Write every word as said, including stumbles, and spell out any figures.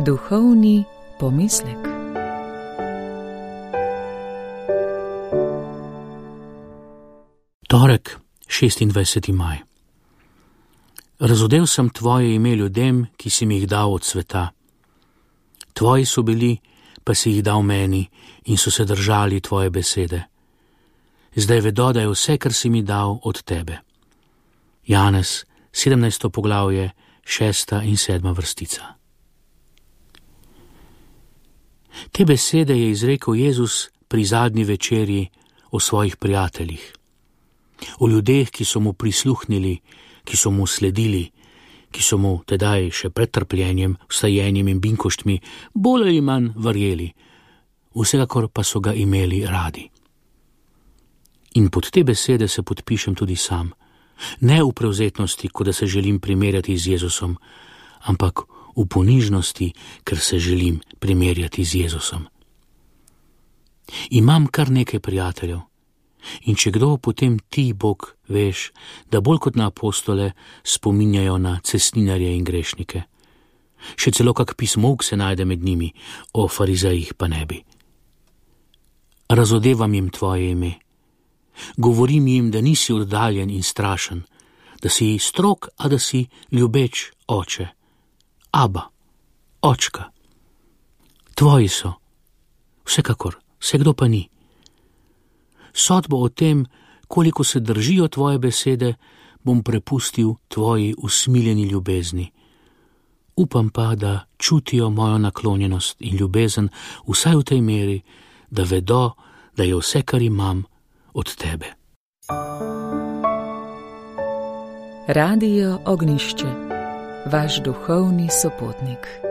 Duhovni pomislek. Torek, šestindvajseti maj. Razodel sem tvoje ime ljudem, ki si mi jih dal od sveta. Tvoji so bili, pa si jih dal meni in so se držali tvoje besede. Zdaj vedo, da je vse, kar si mi dal, od tebe. Janez, sedemnajsto poglavje, šesta in sedma vrstica. Te besede je izrekel Jezus pri zadnji večerji o svojih prijateljih. O ljudeh, ki so mu prisluhnili, ki so mu sledili, ki so mu tedaj še pred trpljenjem, vstajenjem in binkoštmi bolj ali manj verjeli, vsekakor pa so ga imeli radi. In pod te besede se podpišem tudi sam, ne v prevzetnosti, kot da se želim primerjati z Jezusom, ampak v ponižnosti, ker se želim primerjati z Jezusom. Imam kar nekaj prijateljev, in če kdo, potem ti, Bog, veš, da bolj kot na apostole spominjajo na cestninarje in grešnike. Še celo kak pismovk se najde med njimi, o farizejih pa ne bi. Razodevam jim tvoje ime. Govorim jim, da nisi oddaljen in strašen, da si strog, a da si ljubeč oče. Aba, očka. Tvoji so, vsekakor, vsekdo pa ni. Sodbo o tem, koliko se držijo tvoje besede, bom prepustil tvoji usmiljeni ljubezni. Upam pa, da čutijo mojo naklonjenost in ljubezen vsaj v tej meri, da vedo, da je vse, kar imam, od tebe. Radio Ognjišče, vaš duhovni sopotnik.